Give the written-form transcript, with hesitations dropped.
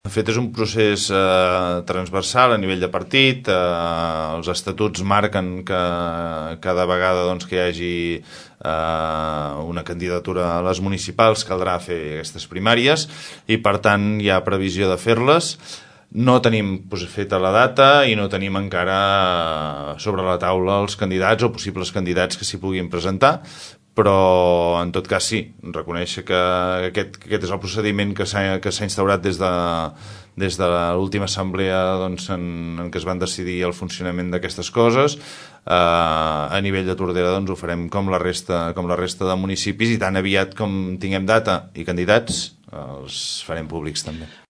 De fet, és un procés transversal a nivell de partit. Els estatuts marquen que cada vegada que hi hagi una candidatura a les municipals caldrà fer aquestes primàries i, per tant, hi ha previsió de fer-les. No tenim feta la data i no tenim encara sobre la taula els candidats o possibles candidats que s'hi puguin presentar, però en tot cas sí, reconèixer que aquest és el procediment que s'ha instaurat des de l'última assemblea en què es van decidir el funcionament d'aquestes coses. A nivell de Tordera ho farem com la resta de municipis i tan aviat com tinguem data i candidats els farem públics també.